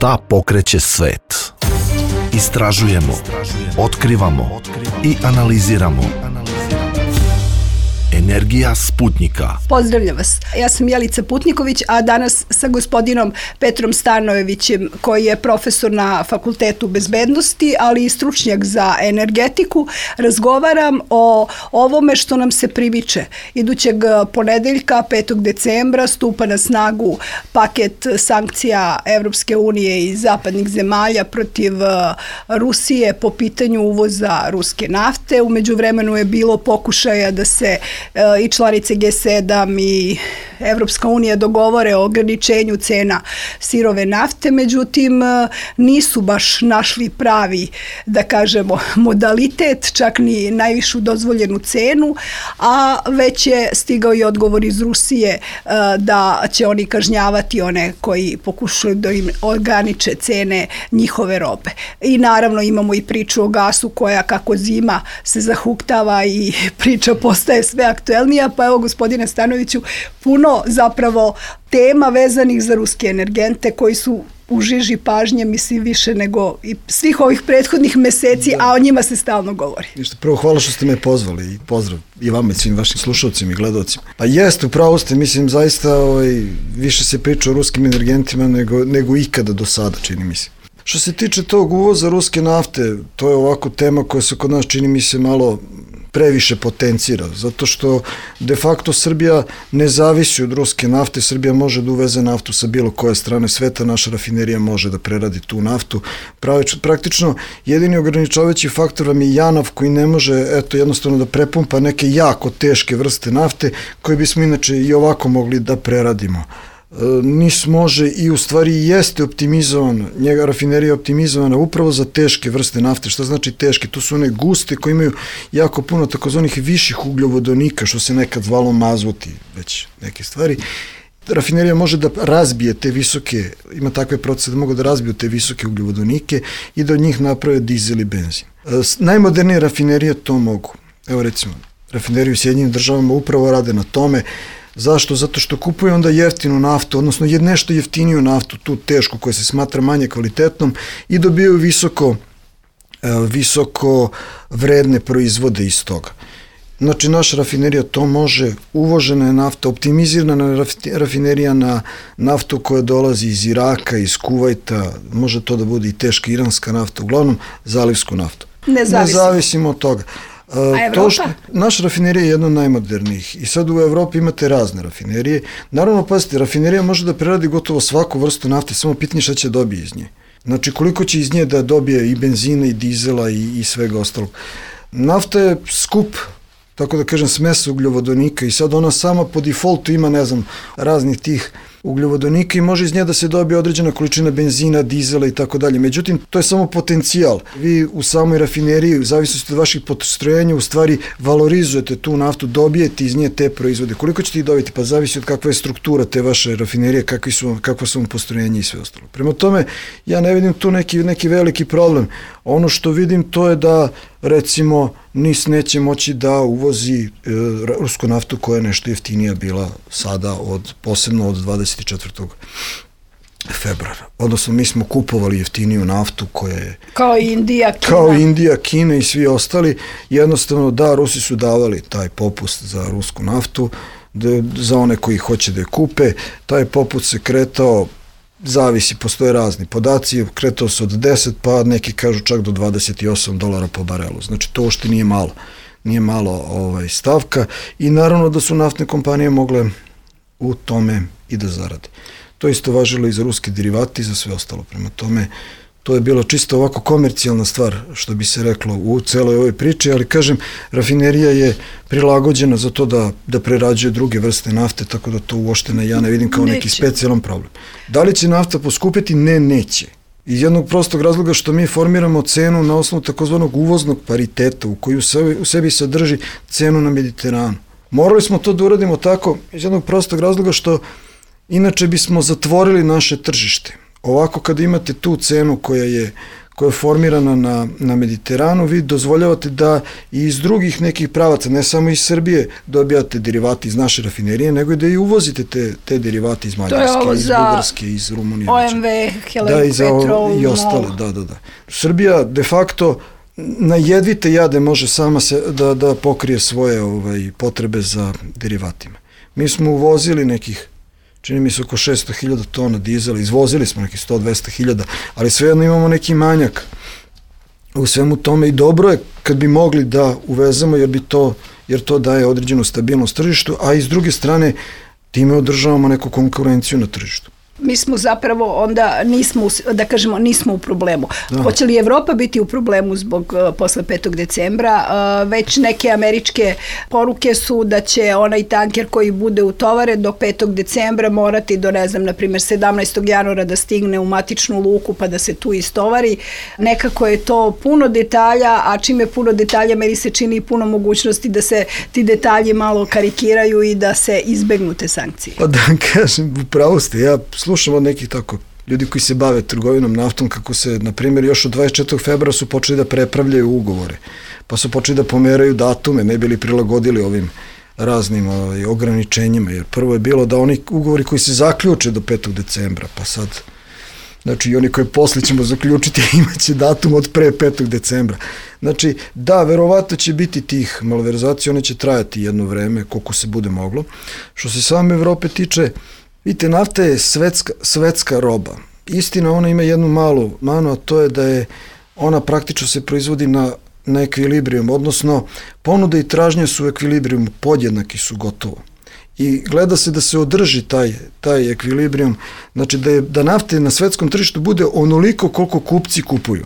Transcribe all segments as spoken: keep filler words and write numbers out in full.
Ta pokreće svet. Istražujemo, otkrivamo i analiziramo. Energija Sputnika. Pozdravljam vas. Ja sam Jelica Putniković, a danas sa gospodinom Petrom Stanojevićem, koji je profesor na Fakultetu bezbednosti, ali i stručnjak za energetiku, razgovaram o ovome što nam se primiče. Idućeg ponedeljka, petog decembra, stupa na snagu paket sankcija Evropske unije i zapadnih zemalja protiv Rusije po pitanju uvoza ruske nafte. U međuvremenu je bilo pokušaja da se i članice G sedam i Evropska unija dogovore o ograničenju cena sirove nafte, međutim nisu baš našli pravi, da kažemo, modalitet, čak ni najvišu dozvoljenu cenu, a već je stigao i odgovor iz Rusije da će oni kažnjavati one koji pokušaju da im ograniče cene njihove robe. I naravno imamo i priču o gasu koja kako zima se zahuktava i priča postaje sve aktuelnija, pa evo gospodine Stanojeviću, puno zapravo tema vezanih za ruske energente koji su u žiži pažnje, mislim, više nego i svih ovih prethodnih meseci, a o njima se stalno govori. Ništa, prvo hvala što ste me pozvali i pozdrav i vama i svim vašim slušalcima i gledalcima. Pa jeste, upravo ste, mislim, zaista ovaj, više se priča o ruskim energentima nego, nego ikada do sada, čini mi se. Što se tiče tog uvoza ruske nafte, to je ovako tema koja se kod nas, čini mi se, malo previše potencira, zato što de facto Srbija ne zavisi od ruske nafte, Srbija može da uveze naftu sa bilo koje strane sveta, naša rafinerija može da preradi tu naftu. Praktično, jedini ograničavajući faktor vam je JANAF koji ne može, eto, jednostavno da prepumpa neke jako teške vrste nafte koje bismo inače i ovako mogli da preradimo. N I S može i u stvari jeste optimizovan, njega rafinerija je optimizovana upravo za teške vrste nafte. Šta znači teške? To su one guste koje imaju jako puno takozvanih viših ugljovodonika, što se nekad zvalo mazuti, već neke stvari. Rafinerija može da razbije te visoke, ima takve procese da mogu da razbiju te visoke ugljovodonike i da od njih naprave dizel i benzin. Najmodernije rafinerije to mogu. Evo recimo, rafineriju u Sjedinjenim državama upravo rade na tome. Zašto? Zato što kupuju onda jeftinu naftu, odnosno je nešto jeftiniju naftu, tu tešku koja se smatra manje kvalitetnom i dobijaju visoko, visoko vredne proizvode iz toga. Znači, naša rafinerija to može, uvožena je nafta, optimizirana rafinerija na naftu koja dolazi iz Iraka, iz Kuvajta, može to da bude i teška iranska nafta, uglavnom zalivsku naftu. Ne zavisimo. Ne zavisimo od toga. A to što, naša rafinerija je jedna od najmodernijih i sad u Evropi imate razne rafinerije. Naravno, pazite, rafinerija može da preradi gotovo svaku vrstu nafte, samo pitanje šta će dobije iz nje. Znači, koliko će iz nje da dobije i benzina i dizela i, i svega ostalog. Nafta je skup, tako da kažem, smesa ugljovodonika i sad ona sama po defaultu ima, ne znam, raznih tih ugljovodonika i može iz nje da se dobije određena količina benzina, dizela i tako dalje. Međutim, to je samo potencijal. Vi u samoj rafineriji, u zavisnosti od vaših postrojenja, u stvari valorizujete tu naftu, dobijete iz nje te proizvode. Koliko ćete ih dobiti? Pa zavisi od kakva je struktura te vaše rafinerije, kakvi su, kakva su vam postrojenja i sve ostalo. Prema tome, ja ne vidim tu neki, neki veliki problem. Ono što vidim to je da, recimo, N I S neće moći da uvozi e, rusku naftu koja je nešto jeftinija bila sada, od, posebno od dvadeset četvrtog februara. Odnosno, mi smo kupovali jeftiniju naftu koja je... Kao Indija, Kina. Kao Indija, Kina i svi ostali. Jednostavno, da, Rusi su davali taj popust za rusku naftu, da, za one koji hoće da je kupe. Taj popust se kretao, zavisi, postoje razni podaci, kretao se od deset, pa neki kažu čak do dvadeset osam dolara po barelu. Znači, to uopšte nije malo. Nije malo ovaj, stavka i naravno da su naftne kompanije mogle u tome i da zarade. To isto važilo i za ruske derivate i za sve ostalo. Prema tome, to je bilo čisto ovako komercijalna stvar, što bi se reklo u celoj ovoj priči, ali kažem, rafinerija je prilagođena za to da, da prerađuje druge vrste nafte, tako da to uopšte ne, ja ne vidim kao neće. Neki specijalan problem. Da li će nafta poskupiti? Ne, neće. Iz jednog prostog razloga što mi formiramo cenu na osnovu takozvanog uvoznog pariteta u koju u sebi, u sebi sadrži cenu na Mediteranu. Morali smo to da uradimo tako iz jednog prostog razloga što inače bismo zatvorili naše tržište. Ovako kada imate tu cenu koja je, koja je formirana na, na Mediteranu, vi dozvoljavate da i iz drugih nekih pravaca, ne samo iz Srbije, dobijate derivati iz naše rafinerije, nego i da i uvozite te, te derivate iz Mađarske, iz Bugarske, iz Rumunije. O M V, Helen da, i za Petrol, i ostale, da, da, da. Srbija de facto na jedvite jade može sama se, da, da pokrije svoje ovaj, potrebe za derivatima. Mi smo uvozili nekih, čini mi se oko šesto hiljada tona dizela, izvozili smo nekih sto do dvesta hiljada, ali svejedno imamo neki manjak u svemu tome i dobro je kad bi mogli da uvezemo, jer bi to, jer to daje određenu stabilnost tržištu, a i s druge strane time održavamo neku konkurenciju na tržištu. Mi smo zapravo onda nismo, da kažemo, nismo u problemu. Da. Hoće li Evropa biti u problemu zbog uh, posle petog decembra? Uh, već neke američke poruke su da će onaj tanker koji bude utovaren do petog decembra morati do, ne znam, na primjer sedamnaestog januara da stigne u matičnu luku pa da se tu istovari. Nekako je to puno detalja, a čim je puno detalja, meni se čini i puno mogućnosti da se ti detalji malo karikiraju i da se izbegnu te sankcije. Pa da kažem, upravo ste, ja slušam od nekih tako ljudi koji se bave trgovinom naftom, kako se, na primjer, još od dvadeset četvrtog februara su počeli da prepravljaju ugovore, pa su počeli da pomeraju datume, ne bili prilagodili ovim raznim ovaj, ograničenjima, jer prvo je bilo da oni ugovori koji se zaključe do petog decembra, pa sad, znači i oni koji posle ćemo zaključiti imaće datum od pre petog decembra. Znači, da, verovatno će biti tih malverzacija, one će trajati jedno vreme, koliko se bude moglo. Što se same Evrope tiče, vidite, nafta je svetska, svetska roba. Istina, ona ima jednu malu manu, a to je da je ona praktično se proizvodi na, na ekvilibrijum, odnosno ponuda i tražnje su u ekvilibrijumu, podjednaki su gotovo. I gleda se da se održi taj, taj ekvilibrijum, znači da, je, da nafte na svetskom tržištu bude onoliko koliko kupci kupuju.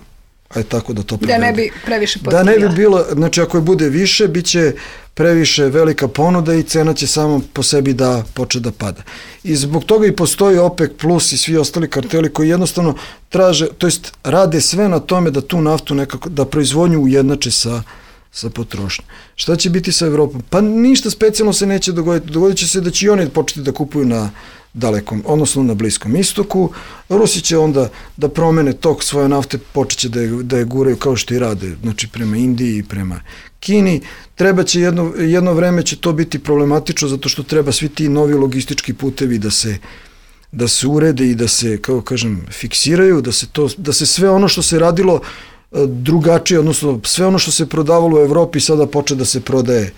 Ajde tako da to prevedu. Da ne bi previše postavila. Da ne bi bilo, znači ako je bude više, bit će previše velika ponuda i cena će samo po sebi da poče da pada. I zbog toga i postoji OPEC plus i svi ostali karteli koji jednostavno traže, to jest rade sve na tome da tu naftu nekako, da proizvodnju ujednače sa, sa potrošnjom. Šta će biti sa Evropom? Pa ništa specijalno se neće dogoditi. Dogodit će se da će i oni početi da kupuju na dalekom, odnosno na Bliskom istoku. Rusi će onda da promene tok svoje nafte, počeće da je, da je guraju kao što i rade, znači prema Indiji i prema Kini. Treba će jedno, jedno vreme će to biti problematično zato što treba svi ti novi logistički putevi da se, da se urede i da se, kako kažem, fiksiraju, da se, to, da se sve ono što se radilo drugačije, odnosno sve ono što se prodavalo u Evropi sada poče da se prodaje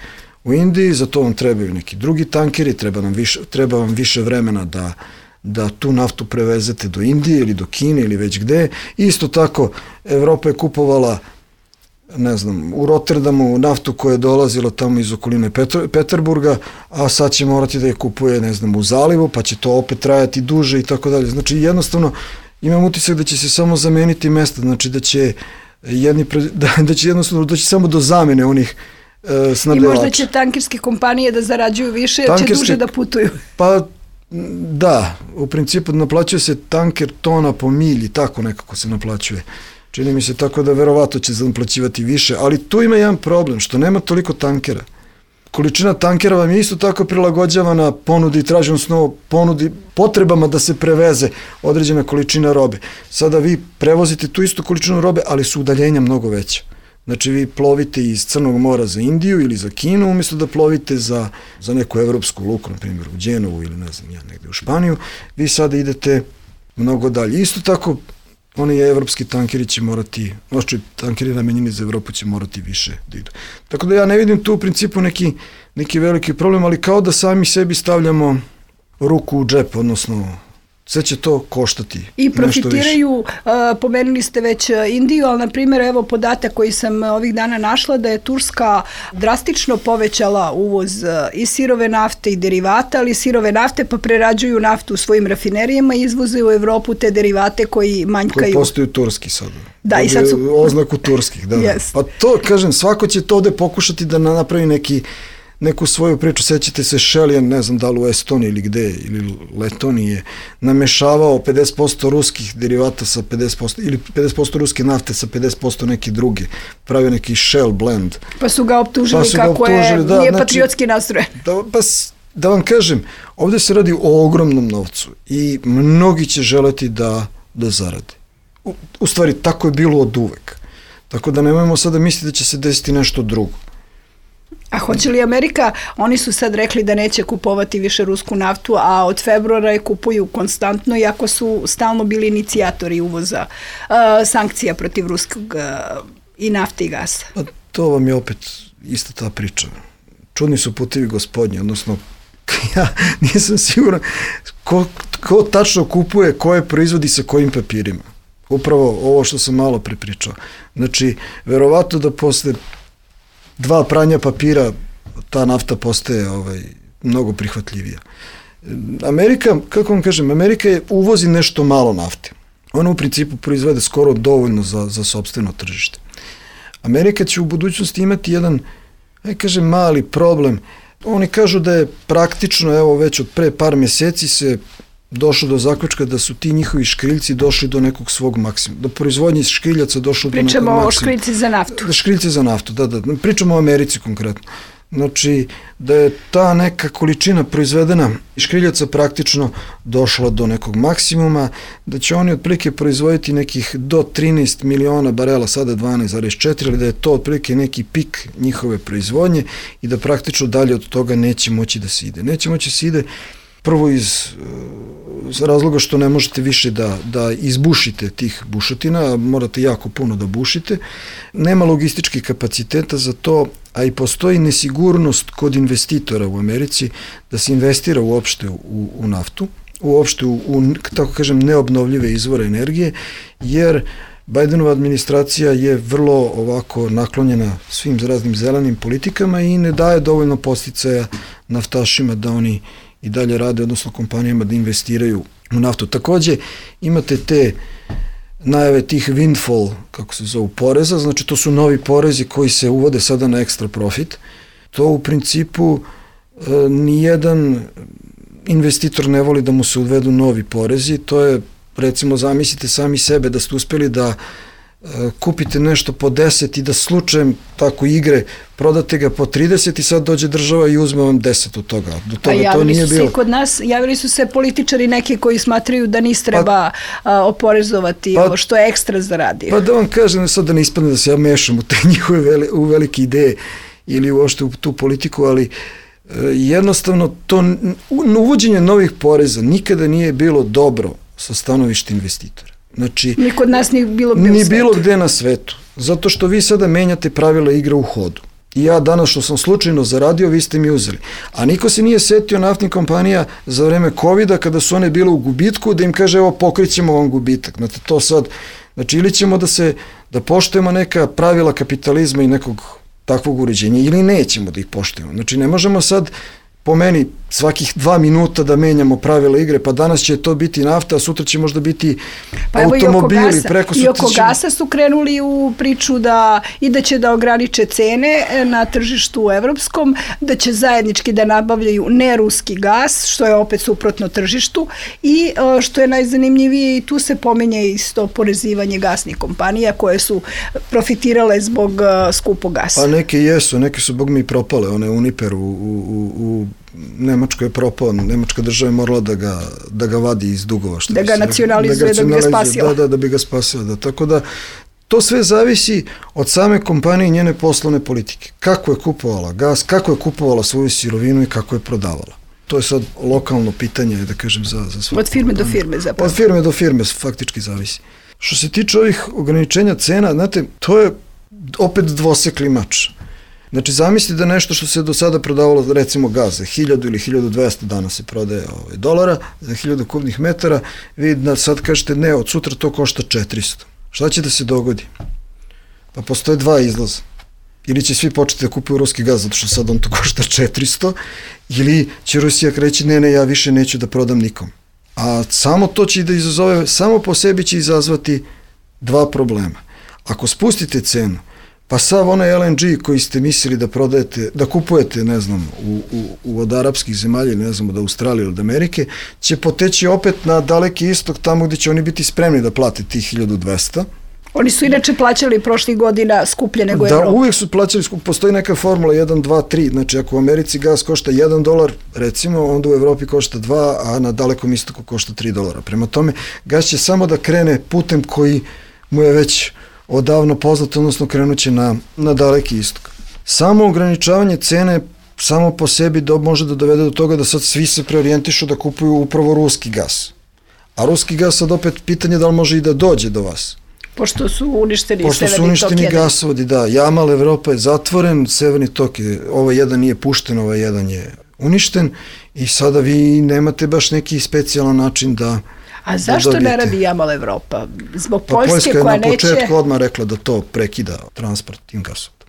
u Indiji, za to vam trebaju neki drugi tankeri, treba, nam više, treba vam više vremena da, da tu naftu prevezete do Indije ili do Kine ili već gde. Isto tako, Evropa je kupovala, ne znam, u Rotterdamu naftu koja je dolazila tamo iz okoline Petr, Peterburga, a sad će morati da je kupuje, ne znam, u zalivu, pa će to opet trajati duže i tako dalje. Znači, jednostavno, imam utisak da će se samo zameniti mesta, znači da će jedni, da, da će jednostavno doći samo do zamene onih I možda će tankerske kompanije da zarađuju više, jer će duže da putuju. Pa da, u principu naplaćuje se tanker tona po milji, tako nekako se naplaćuje. Čini mi se tako da verovatno će naplaćivati više, ali tu ima jedan problem, što nema toliko tankera. Količina tankera vam je isto tako prilagođavana ponudi i traži, odnosno ponudi potrebama da se preveze određena količina robe. Sada vi prevozite tu istu količinu robe, ali su udaljenja mnogo veća. Znači vi plovite iz Crnog mora za Indiju ili za Kinu, umjesto da plovite za, za neku evropsku luku, na primjer u Đenovu ili ne znam ja, negde u Španiju, vi sada idete mnogo dalje. Isto tako, oni evropski tankeri će morati, znači tankeri namenjeni za Evropu će morati više da idu. Tako da ja ne vidim tu u principu neki, neki veliki problem, ali kao da sami sebi stavljamo ruku u džep, odnosno sve će to koštati. I profitiraju, uh, pomenuli ste već Indiju, ali na primjer evo podatak koji sam ovih dana našla da je Turska drastično povećala uvoz uh, i sirove nafte i derivata, ali sirove nafte pa prerađuju naftu u svojim rafinerijama i izvoze u Evropu te derivate koji manjkaju. Koji postaju turski sad. Da, i sad su oznaku turskih. Da, yes. Pa to, kažem, svako će to ovde pokušati da napravi neki neku svoju priču, sećate se Šelijan, ne znam da li u Estoniji ili gde, ili Letoniji je namešavao pedeset posto ruskih derivata sa pedeset posto, ili pedeset posto ruske nafte sa pedeset posto neke druge, pravio neki Shell blend. Pa su ga optužili pa su kako ga optužili, je, da, nije znači, patriotski nastrojen. Da, pa da vam kažem, ovde se radi o ogromnom novcu i mnogi će želeti da, da zarade. u, u stvari tako je bilo od uvek. Tako da nemojmo sada misliti da će se desiti nešto drugo. A hoće li Amerika, oni su sad rekli da neće kupovati više rusku naftu, a od februara je kupuju konstantno, iako su stalno bili inicijatori uvoza uh, sankcija protiv ruskog uh, i nafte i gasa. Pa to vam je opet ista ta priča. Čudni su putevi gospodnji, odnosno ja nisam siguran ko, ko tačno kupuje, koje proizvodi sa kojim papirima. Upravo ovo što sam malo prepričao. Znači, verovatno da posle dva pranja papira ta nafta postaje ovaj, mnogo prihvatljivija. Amerika, kako vam kažem, Amerika je uvozi nešto malo nafte. Ona u principu proizvede skoro dovoljno za, za sopstveno tržište. Amerika će u budućnosti imati jedan, aj kažem, mali problem. Oni kažu da je praktično, evo već od pre par meseci se došlo do zaključka da su ti njihovi škriljci došli do nekog svog maksimuma. Do proizvodnje škriljaca došlo do nekog maksimuma. Pričamo o škriljci za naftu. Da, škriljci za naftu, da, da. Pričamo o Americi konkretno. Znači, da je ta neka količina proizvedena škriljaca praktično došla do nekog maksimuma, da će oni otprilike proizvoditi nekih do trinaest miliona barela, sada dvanaest zarez četiri, ali da je to otprilike neki pik njihove proizvodnje i da praktično dalje od toga neće moći da se ide. Neće moći da se ide prvo iz, iz razloga što ne možete više da, da izbušite tih bušotina, morate jako puno da bušite, nema logističkih kapaciteta za to, a i postoji nesigurnost kod investitora u Americi da se investira uopšte u, u naftu, uopšte u, u, tako kažem, neobnovljive izvore energije, jer Bidenova administracija je vrlo ovako naklonjena svim raznim zelenim politikama i ne daje dovoljno podsticaja naftašima da oni i dalje rade, odnosno kompanijama da investiraju u naftu. Takođe, imate te najave tih windfall, kako se zovu, poreza, znači to su novi porezi koji se uvode sada na ekstra profit. To u principu e, nijedan investitor ne voli da mu se uvedu novi porezi, to je, recimo, zamislite sami sebe da ste uspeli da kupite nešto po deset i da slučajem tako igre prodate ga po trideset i sad dođe država i uzme vam deset od toga. Do toga a to nije su se bilo. Kod nas, javili su se političari neki koji smatraju da nis treba pa, a, oporezovati pa, ovo što je ekstra zaradio. Pa da vam kažem sad da ne ispadne da se ja mešam u te njihove veli, u velike ideje ili uopšte u tu politiku, ali e, jednostavno to uvođenje novih poreza nikada nije bilo dobro sa stanovišta investitora. Znači, ni kod nas ni bilo gde ni bilo gde na svetu. Zato što vi sada menjate pravila igre u hodu. I ja danas što sam slučajno zaradio, vi ste mi uzeli. A niko se nije setio naftnih kompanija za vreme kovida kada su one bile u gubitku da im kaže evo pokrićemo vam gubitak. Znači to sad, znači ili ćemo da se, da poštujemo neka pravila kapitalizma i nekog takvog uređenja ili nećemo da ih poštujemo. Znači ne možemo sad po meni svakih dva minuta da menjamo pravila igre, pa danas će to biti nafta, a sutra će možda biti pa automobili. Preko I oko gasa su krenuli u priču da i da će da ograniče cene na tržištu evropskom, da će zajednički da nabavljaju neruski gas, što je opet suprotno tržištu i što je najzanimljivije i tu se pominje isto oporezivanje gasnih kompanija koje su profitirale zbog skupog gasa. Pa neke jesu, neke su bog mi propale, one Uniper u, u, u Nemačko je propao, Nemačka država je morala da ga, da ga vadi iz dugova. Što da ga nacionalizuje, da, da bi ga spasila. Da, da, da bi ga spasila. Da. Tako da, to sve zavisi od same kompanije i njene poslovne politike. Kako je kupovala gas, kako je kupovala svoju sirovinu i kako je prodavala. To je sad lokalno pitanje, da kažem, za, za svaku. Od firme do firme zapravo. Od firme do firme faktički zavisi. Što se tiče ovih ograničenja cena, znate, to je opet dvosekli mač. Znači, zamislite da nešto što se do sada prodavalo, recimo gaz, za hiljadu ili hiljadu dvesta danas se prodaje ovaj, dolara, za hiljadu kubnih metara, vi da sad kažete ne, od sutra to košta četiristo. Šta će da se dogodi? Pa postoje dva izlaza. Ili će svi početi da kupuju ruski gaz, zato što sad on to košta četiristo, ili će Rusija reći ne, ne, ja više neću da prodam nikom. A samo to će da izazove, samo po sebi će izazvati dva problema. Ako spustite cenu, pa sav onaj L N G koji ste mislili da prodajete, da kupujete, ne znam, u, u, od arapskih zemalja, ne znam, od Australije ili od Amerike, će poteći opet na daleki istok, tamo gde će oni biti spremni da plate tih hiljadu dvesta. Oni su inače plaćali prošlih godina skuplje nego da, Evropa. Da, uvijek su plaćali skuplje. Postoji neka formula jedan, dva, tri. Znači, ako u Americi gas košta jedan dolar, recimo, onda u Evropi košta dva, a na Dalekom istoku košta tri dolara. Prema tome, gas će samo da krene putem koji mu je već odavno poznat, odnosno krenuće na, na Daleki istok. Samo ograničavanje cene samo po sebi do, može da dovede do toga da sad svi se preorijentišu da kupuju upravo ruski gas. A ruski gas sad opet pitanje da li može i da dođe do vas. Pošto su uništeni Pošto su uništeni gasovodi, da. Jamal Evropa je zatvoren, severni tok je, ovaj jedan nije pušten, ovaj jedan je uništen i sada vi nemate baš neki specijalan način da A zašto da ne radi Jamal Evropa? Zbog pa Poljske Poljska koja je na neće... početku odmah rekla da to prekida transport tim gasovodom.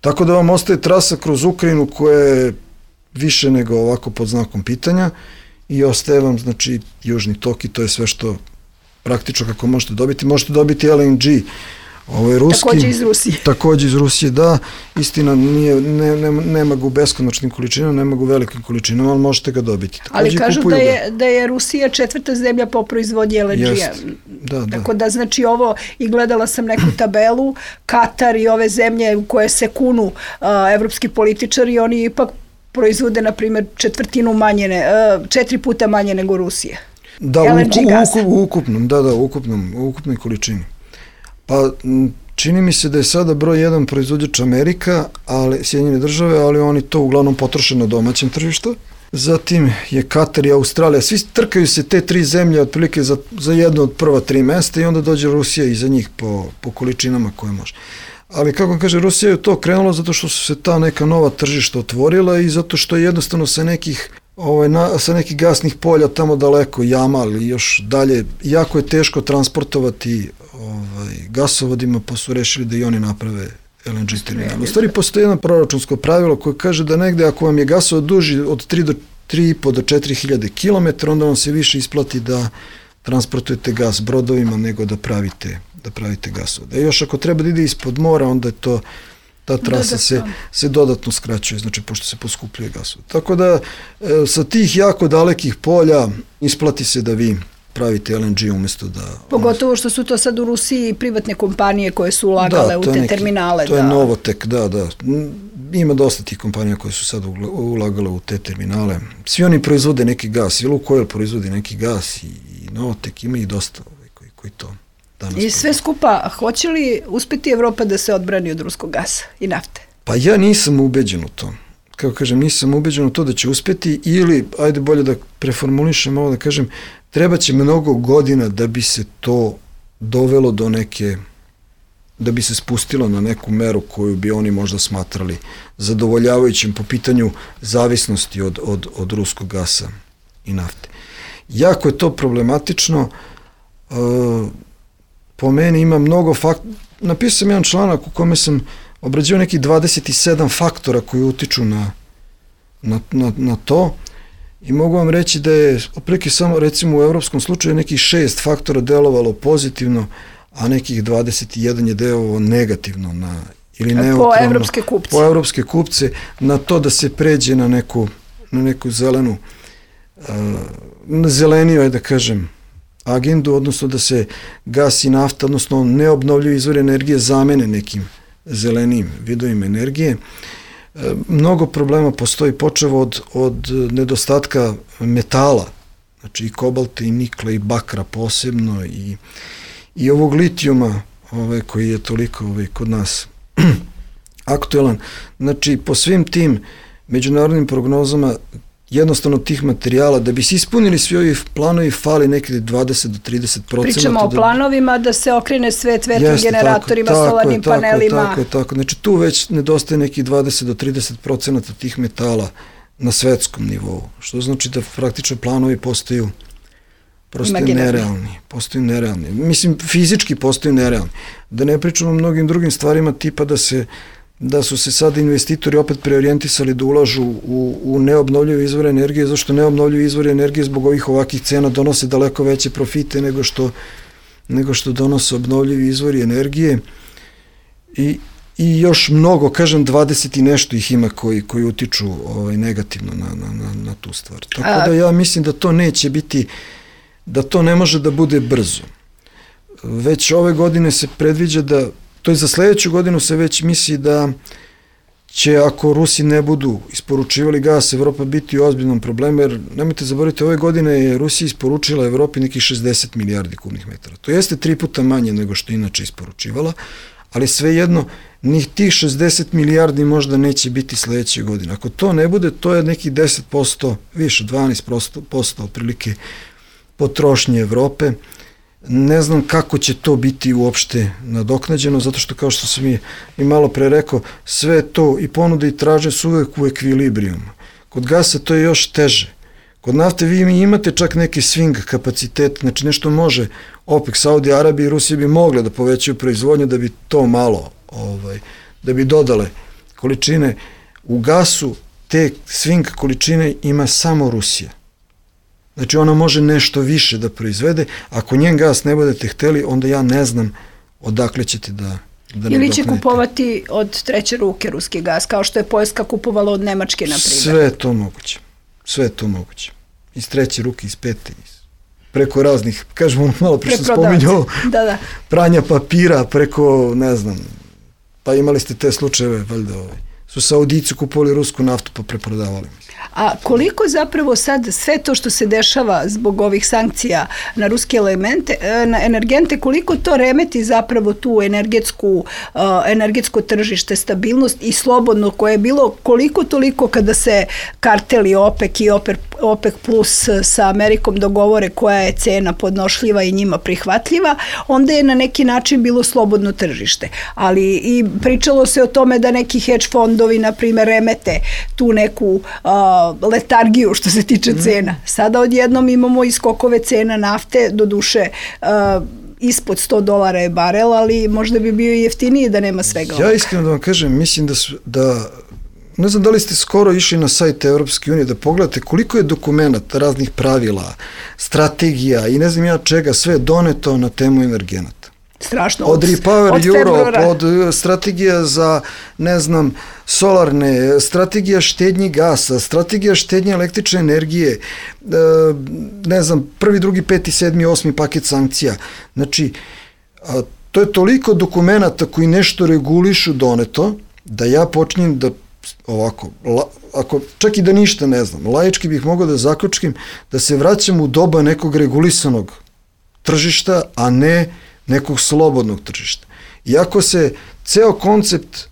Tako da vam ostaje trasa kroz Ukrajinu koja je više nego ovako pod znakom pitanja i ostaje vam, znači, južni tok i to je sve što praktično kako možete dobiti. Možete dobiti L N G, ovo je ruski. Takođe iz Rusije. Takođe iz Rusije, da. Istina, nije, ne, ne, nema ga u beskonačnim količinama, nema ga u velikim količinama, ali možete ga dobiti. Takođe ali kažu da je, da je Rusija četvrta zemlja po proizvodnji L N G-a. Jest, da, da. Tako da, znači, ovo, i gledala sam neku tabelu, Katar i ove zemlje u koje se kunu uh, evropski političari, oni ipak proizvode, na primjer, četvrtinu manje, ne, uh, četiri puta manje nego Rusija. Da, u, u, u ukupnom, da, da, u ukupnom, u ukupnoj količini. Pa čini mi se da je sada broj jedan proizvođač Amerika, ali Sjedinjene države, ali oni to uglavnom potroše na domaćem tržištu. Zatim je Katar i Australija, svi trkaju se te tri zemlje otprilike za, za jedno od prva tri mesta i onda dođe Rusija iza njih po, po količinama koje može. Ali kako kaže, Rusija je to krenula zato što su se ta neka nova tržišta otvorila i zato što je jednostavno sa nekih Ovaj, na, sa nekih gasnih polja tamo daleko, Jamal i još dalje, jako je teško transportovati ovaj, gasovodima, pa su rešili da i oni naprave L N G terminal. U stvari postoji jedno proračunsko pravilo koje kaže da negde ako vam je gasovod duži od tri do tri i po do četiri hiljade kilometara, onda vam se više isplati da transportujete gas brodovima nego da pravite, da pravite gasovod. A još ako treba da ide ispod mora, onda je to ta trasa se, se dodatno skraćuje, znači pošto se poskupljuje gasovod. Tako da e, sa tih jako dalekih polja isplati se da vi pravite L N G umjesto da... Pogotovo što su to sad u Rusiji privatne kompanije koje su ulagale da, u te neki, terminale. To da. je Novotek, da, da. Ima dosta tih kompanija koje su sad ulagale u te terminale. Svi oni proizvode neki gas, i Lukoil proizvodi neki gas i, i Novotek, ima ih dosta ovaj, koji, koji to... I sve skupa, hoće li uspeti Evropa da se odbrani od ruskog gasa i nafte? Pa ja nisam ubeđen u to. Kako kažem, nisam ubeđen u to da će uspeti ili, ajde bolje da preformulišem ovo, da kažem, treba će mnogo godina da bi se to dovelo do neke, da bi se spustilo na neku meru koju bi oni možda smatrali zadovoljavajućim po pitanju zavisnosti od, od, od ruskog gasa i nafte. Jako je to problematično. Uh, po meni ima mnogo faktora. Napisao sam jedan članak u kome sam obrađivao nekih dvadeset sedam faktora koji utiču na, na, na, na to i mogu vam reći da je otprilike samo recimo u evropskom slučaju nekih šest faktora delovalo pozitivno, a nekih dvadeset jedan je delovalo negativno na, ili neutralno, po evropske kupce. Po evropske kupce na to da se pređe na neku, na neku zelenu, uh, na zeleniju, da kažem, agendu, odnosno da se gas i nafta, odnosno neobnovljivi izvori energije zamene nekim zelenim vidovima energije. E, mnogo problema postoji, počev od, od nedostatka metala, znači i kobalta i nikla i bakra posebno i, i ovog litijuma ovaj, koji je toliko ovaj, kod nas aktuelan. Znači po svim tim međunarodnim prognozama jednostavno tih materijala, da bi se ispunili svi ovi planovi, fali nekde dvadeset do trideset procenta. Pričamo o planovima da se okrene svet vetrogeneratorima, tako, solarnim tako, panelima. Tako je, tako. Znači tu već nedostaje nekih dvadeset do trideset procenta tih metala na svetskom nivou, što znači da praktično planovi postaju postaju nerealni, postaju nerealni. Mislim, fizički postaju nerealni. Da ne pričamo o mnogim drugim stvarima tipa da se da su se sad investitori opet preorijentisali da ulažu u, u neobnovljive izvore energije, zašto neobnovljive izvore energije zbog ovih ovakih cena donose daleko veće profite nego što, nego što donose obnovljivi izvori energije i, i još mnogo, kažem, dvadeset i nešto ih ima koji, koji utiču ovaj, negativno na, na, na, na tu stvar. Tako da ja mislim da to neće biti, da to ne može da bude brzo. već ove godine se predviđa da, to je za sledeću godinu se već misli da će, ako Rusi ne budu isporučivali gas, Evropa biti u ozbiljnom problemu, jer nemojte zaboraviti, ove godine je Rusija isporučila Evropi nekih šezdeset milijardi kubnih metara. To jeste tri puta manje nego što inače isporučivala, ali svejedno, ni tih šezdeset milijardi možda neće biti sledeće godine. Ako to ne bude, to je nekih deset posto, više, dvanaest posto otprilike potrošnje Evrope. Ne znam kako će to biti uopšte nadoknađeno, zato što, kao što sam i, i malo pre rekao, sve to i ponude i traže su uvek u ekvilibrijumu. Kod gasa to je još teže. Kod nafte vi imate čak neki swing kapacitet, znači nešto može OPEC, Saudi Arabija i Rusija bi mogle da povećaju proizvodnju da bi to malo, ovaj, da bi dodale količine. U gasu te swing količine ima samo Rusija. Znači ona može nešto više da proizvede, ako njen gas ne budete hteli, onda ja ne znam odakle ćete da, da Ili će kupovati od treće ruke ruski gas, kao što je Poljska kupovala od Nemačke, na primjer. Sve je to moguće. Sve je to moguće. Iz treće ruke, iz pete, iz, preko raznih, kažemo malo pre što spominjao, da, da. pranja papira, preko, ne znam, pa imali ste te slučajeve, valjda ovaj, su Saudici kupovali rusku naftu pa preprodavali. A koliko zapravo sad sve to što se dešava zbog ovih sankcija na ruske elemente, na energente, koliko to remeti zapravo tu energetsku, energetsko tržište, stabilnost i slobodno koje je bilo koliko toliko kada se karteli OPEC i OPEC plus sa Amerikom dogovore koja je cena podnošljiva i njima prihvatljiva, onda je na neki način bilo slobodno tržište. Ali i pričalo se o tome da neki hedge fondovi, na primjer, remete tu neku letargiju što se tiče cena. Sada odjednom imamo i skokove cena nafte, do duše uh, ispod sto dolara je barel, ali možda bi bio i jeftiniji da nema svega. Ja iskreno da vam kažem, mislim da, su, da ne znam da li ste skoro išli na sajt Evropske unije da pogledate koliko je dokumenata, raznih pravila, strategija i ne znam ja čega, sve doneto na temu energenata. Strašno. Od Repower Europe, od strategija za, ne znam, solarne, strategija štednji gasa, strategija štednje električne energije, ne znam, prvi, drugi, peti, sedmi, osmi paket sankcija. Znači, to je toliko dokumenata koji nešto regulišu doneto, da ja počnem da ovako, ako čak i da ništa ne znam, laički bih mogao da zaključim da se vraćam u doba nekog regulisanog tržišta, a ne nekog slobodnog tržišta. Iako se ceo koncept e,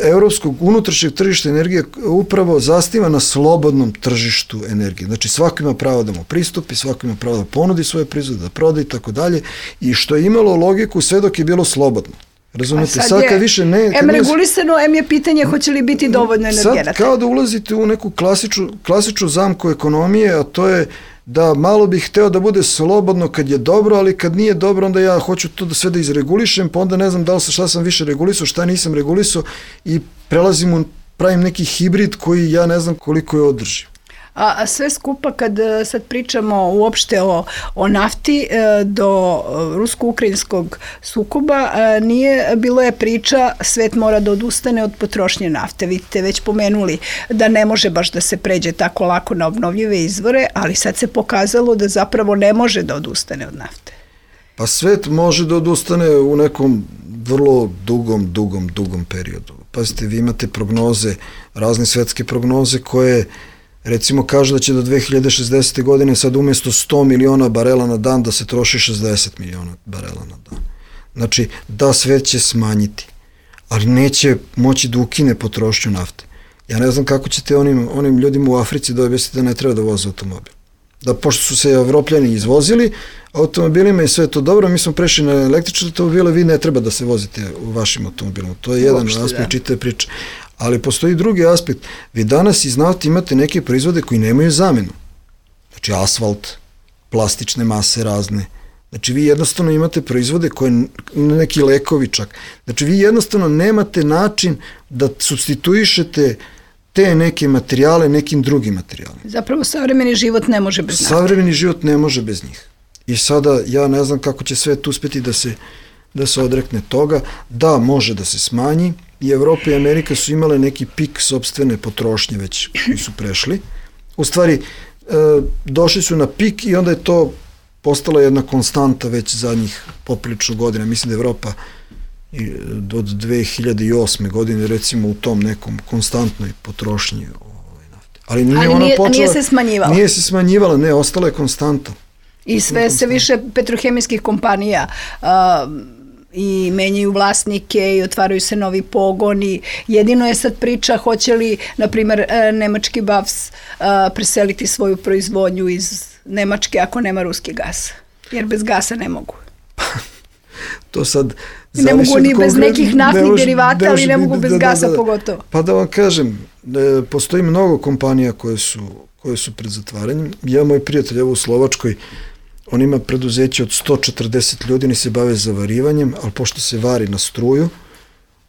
evropskog unutrašnjeg tržišta energije upravo zasniva na slobodnom tržištu energije. Znači svako ima pravo da mu pristupi, svako ima pravo da ponudi svoje proizvode, da proda i tako dalje, i što je imalo logiku sve dok je bilo slobodno. Razumete, sad, sad kad više ne... Em regulisano, em je pitanje hoće li biti dovoljno energenata. Sad kao da ulazite u neku klasičnu, klasičnu zamku ekonomije, a to je da malo bih hteo da bude slobodno kad je dobro, ali kad nije dobro, onda ja hoću to da sve da izregulišem, pa onda ne znam da li šta sam više regulisao, šta nisam regulisao i prelazim u, pravim neki hibrid koji ja ne znam koliko je održiv. A, a sve skupa kad sad pričamo uopšte o, o nafti do rusko-ukrajinskog sukoba, nije, bilo je priča svet mora da odustane od potrošnje nafte. Vidite, već pomenuli da ne može baš da se pređe tako lako na obnovljive izvore, ali sad se pokazalo da zapravo ne može da odustane od nafte. Pa svet može da odustane u nekom vrlo dugom, dugom, dugom periodu. Pazite, vi imate prognoze, razne svetske prognoze koje recimo kaže da će do dve hiljade šezdesete. godine sad umjesto sto miliona barela na dan da se troši šezdeset miliona barela na dan. Znači da svet će smanjiti, ali neće moći da ukine potrošnju nafte. Ja ne znam kako ćete onim, onim ljudima u Africi da objasnite da ne treba da voze automobil. Da pošto su se Evropljani izvozili automobilima i sve to dobro, mi smo prešli na električne automobile, vi ne treba da se vozite u vašim automobilima. To je jedan Uopšte, aspekt da. čitave priče. Ali postoji drugi aspekt. Vi danas iz nafte imate neke proizvode koji nemaju zamenu. Znači asfalt, plastične mase razne. Znači vi jednostavno imate proizvode koje, neki lekovi čak. Znači vi jednostavno nemate način da supstituišete te neke materijale nekim drugim materijalima. Zapravo savremeni život ne može bez nafte. Savremeni život ne može bez njih. I sada ja ne znam kako će svet uspeti da se, da se odrekne toga. Da, može da se smanji. I Evropa i Amerika su imale neki pik sopstvene potrošnje već koji su prešli. U stvari, e, došli su na pik i onda je to postala jedna konstanta već zadnjih poprilično godina. Mislim da Evropa od dve hiljade osme godine recimo u tom nekom konstantnoj potrošnji ovaj, nafte. Ali nije, Ali ona nije, počela, nije se smanjivala. Nije se smanjivala, ne, ostala je konstanta. I sve se više petrohemijskih kompanija uh, i menjaju vlasnike i otvaraju se novi pogoni. Jedino je sad priča hoće li, na primjer, nemački B A V S uh, preseliti svoju proizvodnju iz Nemačke ako nema ruski gas. Jer bez gasa ne mogu. To sad ne mogu ni bez nekih naftnih ne derivata, ne ali ne mogu bez da, gasa da, da, pogotovo. Pa da vam kažem, e, postoji mnogo kompanija koje su, koje su pred zatvaranjem. Ja, moj prijatelj, evo u Slovačkoj, on ima preduzeće od sto četrdeset ljudi, ni se bave zavarivanjem, ali pošto se vari na struju,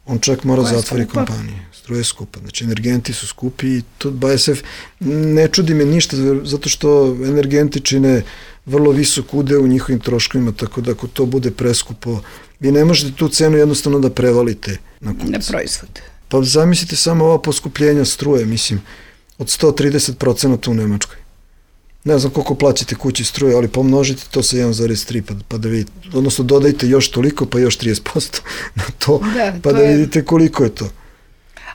on čak mora zatvori kompanije. Struja je skupa, znači energenti su skupi i to B A S F ne čudi me ništa, zato što energenti čine vrlo visok udeo u njihovim troškovima, tako da ako to bude preskupo, vi ne možete tu cenu jednostavno da prevalite na kupce. Na proizvod. Pa zamislite samo ova poskupljenja struje, mislim, od sto trideset procenata u Nemačkoj. Ne znam koliko plaćate kući struje, ali pomnožite to sa jedan zarez tri, pa, pa da vidite, odnosno dodajte još toliko, pa još trideset posto na to, da, pa to da je... vidite koliko je to.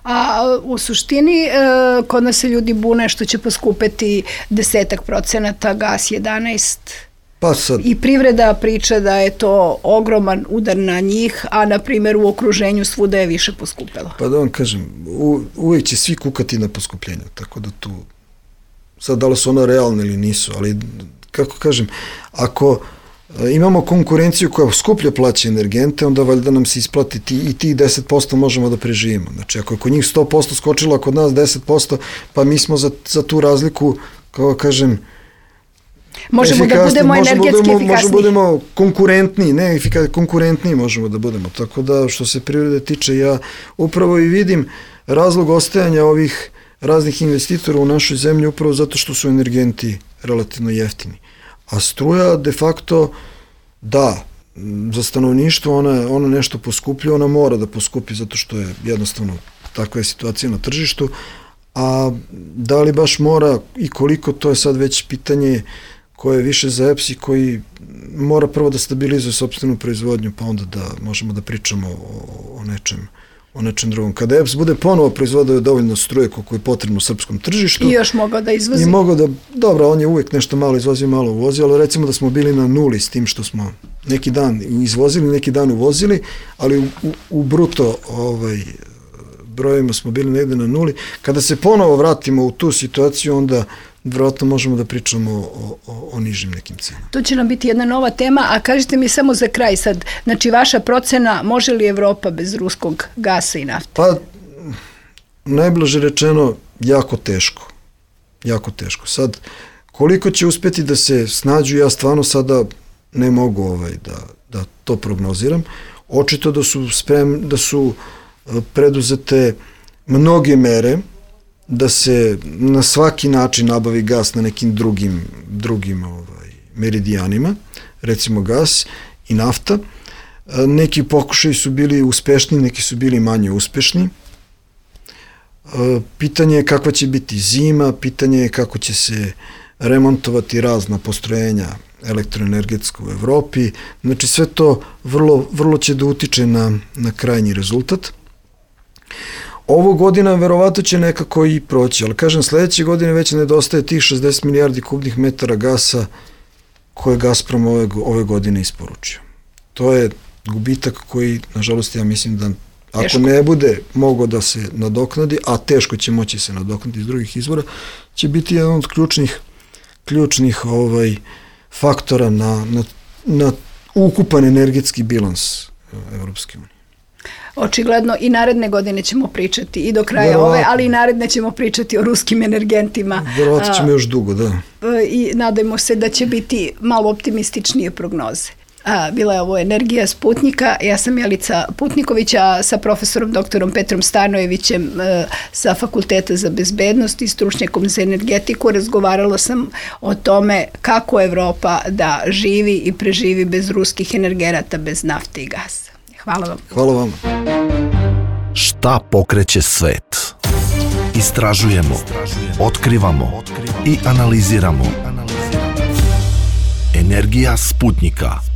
A u suštini e, kod nas se ljudi bune što će poskupeti desetak procenata, gas jedanaest. Pa sad. I privreda priča da je to ogroman udar na njih, a na primjer u okruženju svuda je više poskupelo. Pa da vam kažem, u, uvijek će svi kukati na poskupljenju, tako da tu, sad da li su ono realne ili nisu, ali kako kažem, ako imamo konkurenciju koja skuplje plaća energente, onda valjda nam se isplati ti, i ti deset posto možemo da preživimo. Znači, ako je kod njih sto posto skočilo, a kod nas deset posto, pa mi smo za, za tu razliku, kao kažem, možemo da budemo energetski efikasniji. Možemo da budemo konkurentniji, ne efikasniji, konkurentniji možemo da budemo. Tako da, što se privrede tiče, ja upravo i vidim razlog ostajanja ovih raznih investitora u našoj zemlji upravo zato što su energenti relativno jeftini. A struja de facto, da, za stanovništvo ona, ona nešto poskuplja, ona mora da poskupi zato što je jednostavno takva je situacija na tržištu, a da li baš mora i koliko, to je sad već pitanje koje je više za E P S i koji mora prvo da stabilizuje sopstvenu proizvodnju, pa onda da možemo da pričamo o, o nečem o nečem drugom. Kada E P S bude ponovo proizvodio dovoljno struje koliko je potrebno u srpskom tržištu. I još mogao da izvozi. I mogao da, dobro, on je uvijek nešto malo izvozio, malo uvozio, ali recimo da smo bili na nuli s tim što smo neki dan izvozili, neki dan uvozili, ali u, u, u bruto ovaj, brojima smo bili negde na nuli. Kada se ponovo vratimo u tu situaciju, onda vjerojatno možemo da pričamo o, o, o nižim nekim cenama. To će nam biti jedna nova tema, a kažite mi samo za kraj sad, znači vaša procena, može li Evropa bez ruskog gasa i nafte? Pa, najbliže rečeno, jako teško. Jako teško. Sad, koliko će uspjeti da se snađu, ja stvarno sada ne mogu ovaj, da, da to prognoziram. Očito da su sprem, da su preduzete mnoge mere da se na svaki način nabavi gas na nekim drugim, drugim ovaj, meridijanima, recimo gas i nafta. Neki pokušaji su bili uspešni, neki su bili manje uspešni. Pitanje je kakva će biti zima, pitanje je kako će se remontovati razna postrojenja elektroenergetska u Evropi. Znači sve to vrlo, vrlo će da utiče na, na krajnji rezultat. Ovo godina verovatno će nekako i proći, ali kažem, sledeće godine već nedostaje tih šezdeset milijardi kubnih metara gasa koje Gazprom ove, ove godine isporučio. To je gubitak koji, nažalost, ja mislim da ako teško ne bude mogo da se nadoknadi, a teško će moći se nadoknadi iz drugih izvora, će biti jedan od ključnih, ključnih ovaj, faktora na, na, na ukupan energetski bilans Evropske unije. Očigledno i naredne godine ćemo pričati i do kraja Verovatno. ove, ali i naredne ćemo pričati o ruskim energentima. Verovatno ćemo još dugo, da. I nadajmo se da će biti malo optimističnije prognoze. A, bila je ovo Energija Sputnika, ja sam Jelica Putniković, a sa profesorom doktorom Petrom Stanojevićem e, sa Fakulteta za bezbednost i stručnjakom za energetiku razgovarala sam o tome kako Evropa da živi i preživi bez ruskih energenata, bez nafte i gasa. Hvala vam. Hvala vam. Šta pokreće svet? Istražujemo, otkrivamo i analiziramo. Energija Sputnika.